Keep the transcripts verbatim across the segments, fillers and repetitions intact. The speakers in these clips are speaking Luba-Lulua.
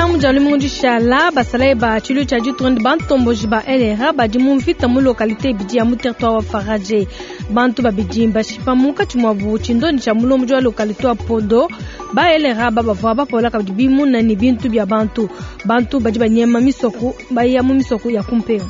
Katshia mu dia lumingu dishala, basalayi ba tshiluilu tshia ditunga ne bantomboji ba L R A badi mu mvita mu localité ibidi ya mu territoire wa Faradje. Bantu babidi mbashipa munkatshi muabu tshindonyi tshia mulombodi wa localité wa Podo. Ba L R A ba bavua bapola kabidi bimuna ne bintu bia bantu. Bantu badi banyema misoko, baya mu misoko ya kumpenga.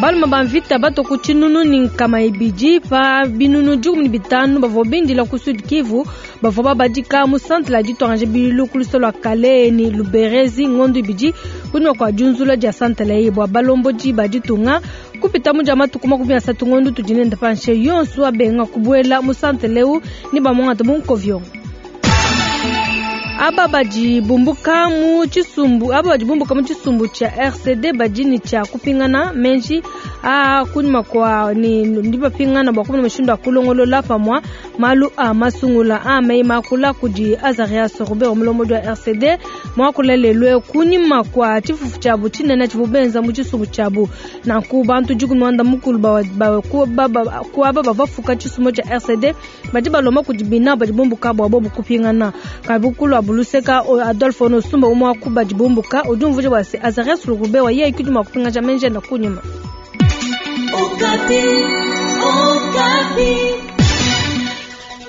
Balume ba mvita bato ku tshinunu ni nkama ibidi pa binunu dikumi ne bitanu bavua bindila ku Sud Kivu, bavua babadika mu centre la ditwanganje bilu ku lusolo lwa Kalehe ni Luberezi ngondo ibidi kunyima kua diunzula dia centre la ye bua balombodi ba ditunga kupita mu dia matuku makumi asatu ngondo tudi nende panshe yonso abenga kubuela mu centre leu ni bamwangata mu nkovyo. Aba badi bumbuka mu tshisumbu, aba badi bumbuka mu tshisumbu tshia R C D badi ni tshia kupingana menji a kunyima kwa ni ndi bapingana bua kumona mushindu wa kulongolola pamua malu a masungula a meyi makula kudi Azarias Robert mulombodi wa R C D mwakula lelwe kunyima kwa tshifufu tshiabu tshinene tshivu benza mu tshisumbu tshiabu. Nanku bantu dikumi muanda mukulu ba, ba, ku, ba, ba, ku aba bavafuka tshisumbu tshia R C D badi balomba kudi bina badi bumbuka bua bobu kupingana. Kabukulu wa Buluseka, o Adolphe Onosumba umwe wa badi bumbuka udi umvuija bua se Azarias Robert wa yeye kudi mua kupingaja menji enda kunyima. Okapi, Okapi.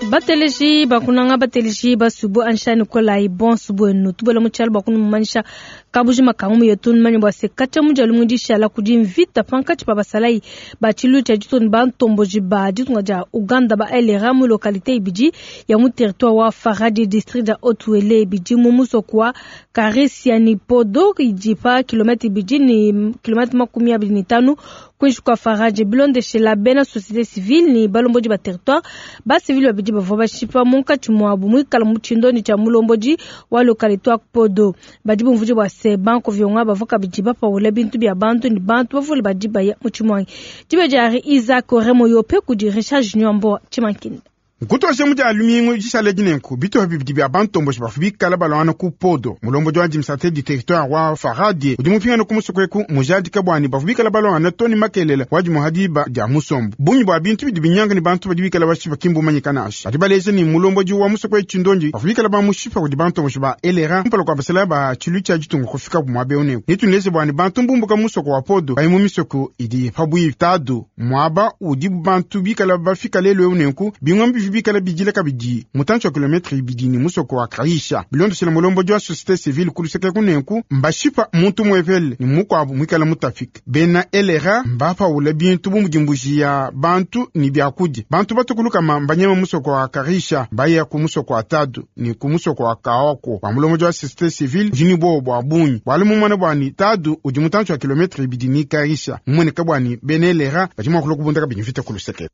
Bateleji bakunanga bateleji basubu anshani kolai bon subu enu tubola mu tshialo bakunu mumanyisha kabuji makangu mu yetu manya bua se katshia mu dia lumingu dishala kudi mvita pankatshi pa basalayi ba tshiluilu tshia ditunga ba ntomboji ba ditunga dia Uganda ba L R A mu localité ibidi ya mu territoire wa Faradje district dia Haut-Uele ibidi mu musoko wa Karisia ni Podo idi pa kilomètre ibidi ni kilomètre makumi abidi ni tanu kuinshi kwa Faradje bilondeshela bena société civile ni balombodi ba territoire ba civile babidi bavua bashipa munkatshi muabu muikala mu tshindonyi tshia mulombodi wa localité wa Podo. Badi bumvuija bua se banko vyonga bavua kabidi bapawula bintu bia bantu ni bantu bavule badi baya mu tshimwangi. Dibe dia Isaac Remo Yope kudi Richard Junior Mboa Tshimankinda. Nkutoshe mu dia lumingu dishala dinenku bitupa bibidi bia bantomboji bavua bikala balwana ku Podo. Mulombodi wa administrateur du territoire wa Faradje udi mupingana ku musoko eku mujadika bwani bavua bikala balwana toni makelela wa dimuha diba dia musombo. Bungi bua bintu bidi binyanga ni bantu badi bikala bashipa kimbu manyika nansha. Badi baleja ni mulombodi wa musoko eku tshindonji bavua bikala bamushipa kudi bantomboji ba L R A kumpala kua basala ba tshilu tshia ditunga kufika ku muaba eu neku. Netuneze bwani bantu mbumbuka musoko wa Podo bayi mu misoko idi pabuipi tadu muaba udi bantu bikala bafika lelu eu neku bingombi bikala bidila kabidi mutantshi wa kilometre ibidi ni musoko wa Kaisha. Bilondeshela mulombodi wa société civile kuluseke kunenku mbashipa muntu mwepele ni mukuabu mwikala mutafika. Bena L R A mbapawula bintu bu mudi mbuji ya bantu ni biakudi. Bantu batukuluka mbanyema musoko wa Kaisha baya ku musoko wa Tadu ni ku musoko wa Kaoko. Wa mulombodi wa société civile udi ni bobo bua bungi. Bwalu mumone bwani Tadu udi mutantshi wa kilometre ibidi ni Kaisha. Mumone kabwani bena L R A badi mua kulua kubunda kabidi mvita kuluseke.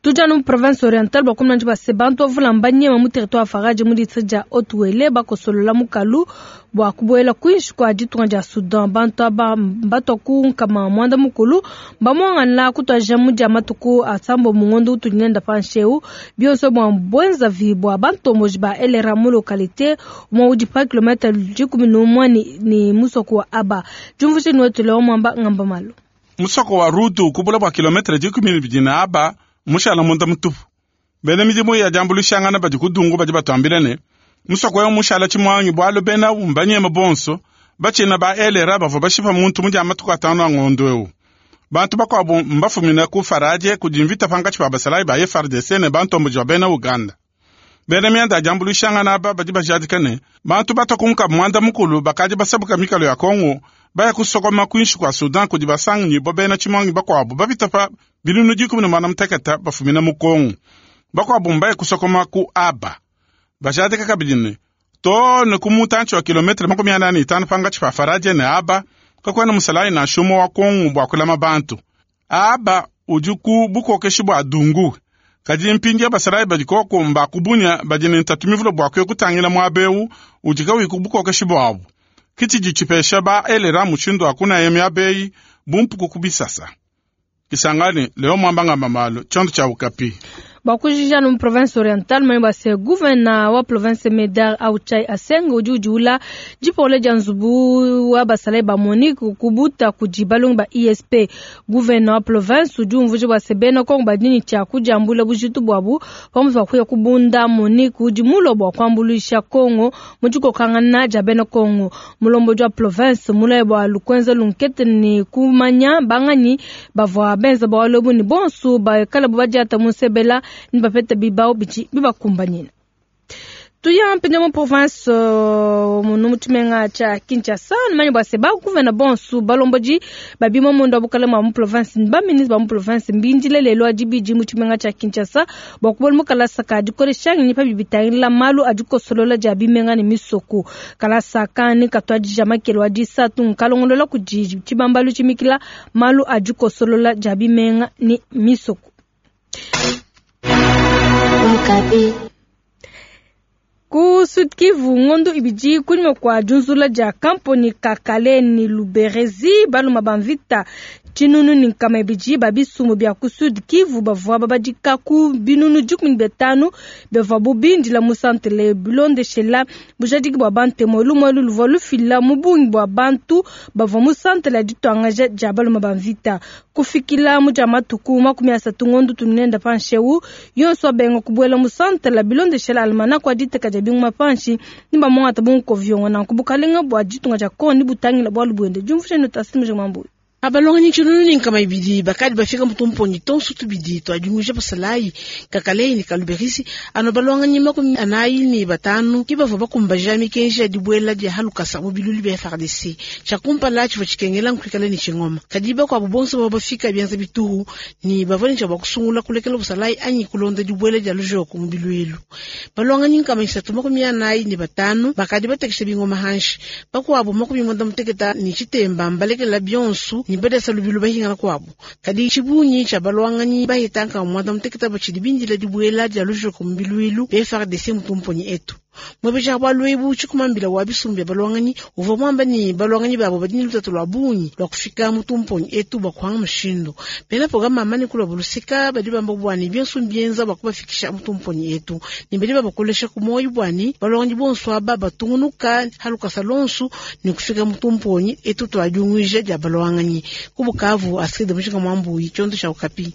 Tuja no province orientale bua kumna njiba se bantu bavula mbanyema mu territoire Faradje mu district dia Haut-Uele bakosolola mukalu bua kubuela kuinshi kua ditunga dia Sudan. Bantu aba mbatwa ku nkama mwanda mukulu mbamwangana kutwaja mu dia matuku asambo mu ngondo utudi nenda pansheu bionso bua bwenza vi bua bantomboji ba L R A mu localité umwe udi pa kilomètre dikumi n'umwe ni, ni musoko wa Aba. Jumvuje niwetu leo mwamba ngamba malo. Musoko wa Rutu kubula bua kilomètre dikumi n'ibidi na Aba mushala munda mutupu. Bena midimu ya diambuluishangana badi kudungu badi batuambila ne, musoko eu mushala tshimwangi bualu bena mbanyema bonso, batshina ba L R A bavua bashipa muntu mu dia matuku atanu a ngondo eu. Bantu bakuabu mbafumina ku Faradje kudi mvita pankatshi pa basalayi ba F R D C ne bantomboji ba bena Uganda. Bena mianda ya diambuluishangana aba badi bajadika ne, bantu batokunka mwanda mukulu bakadi basabuka mikalo ya Kongo, baya kusokoma kuinshi kua Sudan kudi basangi bo bena tshimwangi bakuabu bapita pa binunu dikumi ne muanda mutekete bafumina mu Kongo. Bakuabu mbaya kusokoma ku Aba. Bajadika kabidi ne, to ne ku mutantshi wa kilometre makumi anayi ne itanu pankatshi pa Faradje ne Aba, kakuena musalayi nansha umue wa Kongo bua kulama bantu. Aba udi ku bukokeshi bua Dungu. Kadi mpindieu basalayi badi koko mbakubunya badi ne ntatu mivule bua kuya kutangila muaba eu udi kauyi ku bukokeshi buabu. Kitshidi tshipesha ba L R A mushindu wa kunaya miaba eyi bu mpuku ku bisasa. Kisangani, leo mwamba ngamba malo, tshiondo tshia Okapi. Bua kujikija mu province orientale manye bua se gouverneur wa province Medar Autshai Aseng udi udiula dipole dia nzubu wa basalayi ba Monique kubuta kudi balongi ba I S P. Gouverneur wa province udi umvuija bua se bena Kongo badi ne tshia kudiambula bujitu buabu pamutu pa kuya kubunda Monique udi mulue bua kuambuluisha Kongo mu dikokangana dia bena Kongo. Mulombodi wa province mulaye bua lukuenza lunkete ne kumanya banganyi bavua benza bualu ebu ne bonso bakala badiata mu nsebela ni bapeta bibao bichi bibakumbanyina. Tuya mpinde mu province munu mu tshimenga tshia Kinshasa manye bua se ba gouverneur bonso balombodi babima mundo wa bukalenge mu province ni ba ministre ba mu province mbindile lelo adibidi mu tshimenga tshia Kinshasa bua kubona mu kalasa ka dikolesha ngenyi pa bibitangila malu a dikosolola dia bimenga ne misoko. Kalasa kani katuadija makelo a disatu nkalongolola kudi tshibambalu tshimikila malu a dikosolola dia bimenga ne misoko. Okapi. Ku Sud Kivu ngondo ibidi kunyuma kwa junzula dia kamponi kakale ni Luberezi baluma bamvita tshinunu ni nkama ibidi ba bisumbu bia ku Sud Kivu bavua babadika ku binunu dikumi ne bitanu bavua bubindila mu santere bilondeshela bujadiki bua bantemo lumue luvua lufila mu bungi bua bantu bavua mu santere ya dituangaja dia baluma bamvita kufikila mu dia matuku makumi asatu ngondo tunenda pansheu yonso abenga kubuela mu santere bilondeshela almanako aditeka dia binguma panshi ni bamwangata bunkoviongo nanku bukalenga bua ditunga dia Kongo ni butangila bualu buende diumvusha ni tasimu mambu. Abalonganyi tshinunu ni nkama ibidi bakadi bafika mutumponyi tonso tubidi twadimuja basalayi kakalei ni kaluberisi ano balonganyi makumi anayi ni batanu ki bavua bakumbaja mikenji ya dibuela dia halukasa mu bilulu bia F A R D C tshiakumpala tshivua tshikengela nkuikala ni tshingoma kadi bakuabu bonso bavua bafika bianza bituhu ni bavua ni tshia kusungula kulekela busalayi anyi kulonda dibuela dia lujoko mu biluilu balonganyi nkama isatu makumi anayi ni batanu bakadi batekesha bingoma hanshi bakuabu makumi mwanda muteketa ni tshitemba mbalekela bionso ni badesa lubilu bahingana kwabo kadi tshibunyi tsha balwanganyi bahitanka mwanda muteketa batshidi bindila dibuela dia lujoko mu biluilu bia F A R D C mutumponyi etu mwebeja bwa lwebu tshikumambila wa bisumbu bya balwanganyi uvua mwamba ni balwanganyi babo badi ni lutatu lwa bungi lwa kufika mutumponyi etu bwa kuhanga mushindu bena programa amani kulwa bulusika badi bamba bwani bionso mbienza bwa kubafikisha mutumponyi etu ni badi babakolesha ku moyo bwani balwanganyi bonso aba batungunuka halukasa lonsu ni kufika mutumponyi etu twadiunguija dia balwanganyi ku Bukavu Astrid Mujinga Mwambuyi tshiondo tsha Okapi.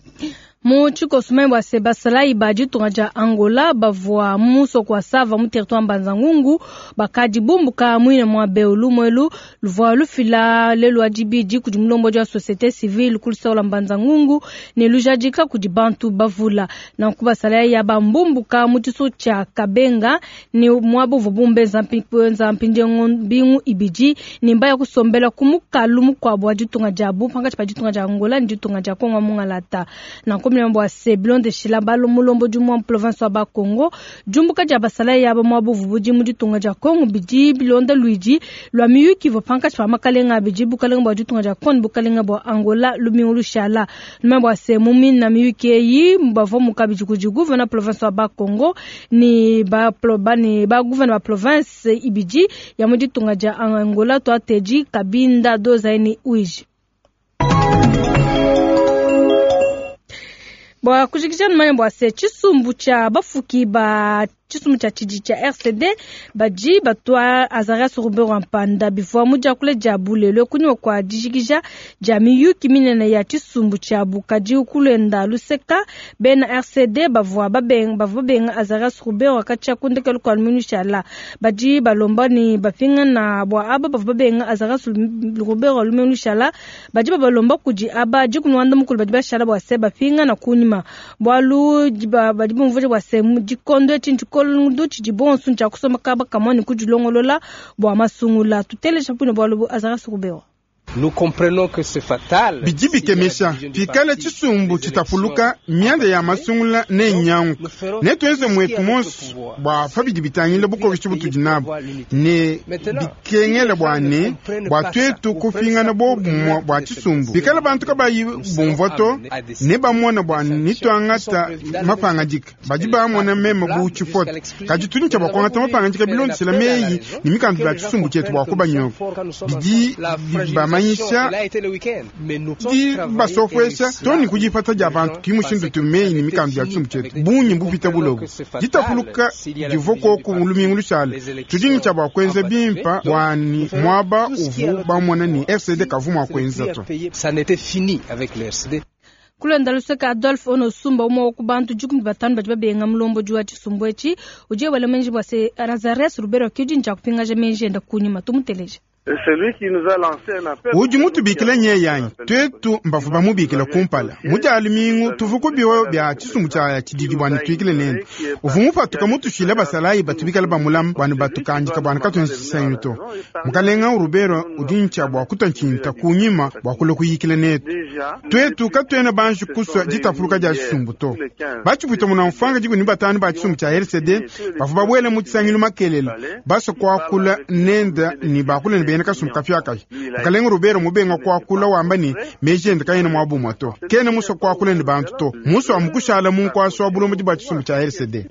Mu tshikoso bua se basalayi ba ditunga dia Angola bavua musoko wa Sava mu territoire Mbanza-Ngungu bakadi bumbuka muine mua Beulu mwelu luvua lufila lelu adibidi kudi mulombodi wa société civile ku lusaula Mbanza-Ngungu ne lujadika kudi bantu bavula nanku basalayi ya bambumbuka mu tshiso tshia Kabenga ne muabu uvua bumbeza mpi-, mpindie mbingu ibidi ne mbaya kusombela ku mukalu mukuabu wa ditunga diabu pankatshi pa ditunga dia Angola ne ditunga dia Kongo mungalata. Nanku bua se bilondeshila balo mulombodi mwa province wa Bakongo jumbuka dia basalayi yaba mwa buvubu mu ditunga dia Kongo bidi bilonda luidi lwa miyuki ivua pankatshi pa makalenga abidi bukalenga bua ditunga dia Kongo bukalenga bua Angola lumingu lushala numa bua se mumina miyuki eyi bavua mukabidi kudi gouverneur province wa Bakongo ni ba pro-, ba ni ba gouverneur ba province ibidi ya mu ditunga dia Angola twateji Kabinda Dozaini Uiji. Bua kujikija numanya bua se tshisumbu tshia bafuki ba tshisumbu tshia tshidi tshia R C D badi batwa Azarias Ruberwa Mpanda bivua mu diakula dia bulelo kunyima kua dijikija dia miyuki minene ya tshisumbu tshia bukadi kulenda luseka bena R C D bavua babenga, bavua babenga Azarias Ruberwa katshia kundekelu kua lumingu shala badi balomba ni bapingana bua aba bavua babenga Azarias Ruberwa lumingu shala badi babalomba kudi aba dikumi wanda mukulu badi bashala bua se bapingana kunyima bualu diba, badi bumvuija bua se mu dikondo etshi ntshikondo tshidi bonso ntshia kusomba kaba kamwe ne kudilongolola bua masungula. Tuteleja mpune bualu bu Azarias Ruberwa. Nous comprenons que c'est fatal. Bidi bikemesha pikala tshisumbu tshitapuluka mianda ya masungula ne nyangu ne tuenze mwetu monso bua pa bidi bitangila bukokeshi butudi nabu ne bikengela bua ne bua tuetu kupingana bobumue bua tshisumbu pikala bantu kabayi bumvua to ne bamona bua nituangata mapangadika badi bamona meme bu tshifoto kadi tudi ntshia bua kuangata mapangadika bilondeshela meyi ne mikandu bia tshisumbu tshietu bua kubanyoka bidi bamanyisha Kuanyisha dibasopuesha to ni kudipata dia bantu ki mushindu tumeyi ni mikandu ya tshisumbu tshietu bungi mbupita bulobo ditapuluka divua koku lumingu lushale tudingi tshia bua kuenza bimpa bwani muaba uvu bamona ni R C D kavu mua kuenza to. Ça n'était fini avec le R C D. Kulonda luseke Adolphe Onosumba, umwe wa ku bantu dikumi batanu badi babenga mulombodi wa tshisumbu etshi, udi wela menji bua se Azarias Ruberwa kiudi tshia kupingaja menji enda kunyima. Tumuteleje. Udi mutubikile nye yanyi twetu mbavu bamubikile kumpala mudi lumingu tuvu kubiwa bya tshisumbu tshia tshididi bwani twikile nende uvu mupatuka mutushile basalayi batubikala bamulama bwani batukandika bwani katuenza tshisangilu to. Mukalenga Ruberwa udi ntshia bua kutua ntshinta kunyima bua kula kuyikila netu. Twetu katuena banji kusua ditapuluka dia tshisumbu to. Batshipwita muna mfwanga dikumi batanu ba tshisumbu tshia R C D bavu babwela mu tshisangilu makelela basua kuakula nenda ni bakula ni bena kasumbu kapiakayi. Mukalenga Ruberwa mubenga kuakula wamba ni meji ende kayena muabumwa to, kena musua kuakula ni bantu to, musua mukushala munkuasa wa bulombodi bua tshisumbu tshia R C D.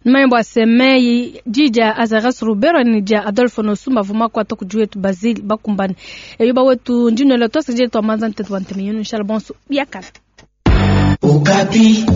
Numanye bua semeyi di dia Azarias Ruberwa ni dia Adolphe Nosumba vuma kuata kudi wetu Basile Bakumbane. Eyo bawetu ndinoela twasakidila twamanza ntete wa nteme yenu inshala bonso biakala. Okapi.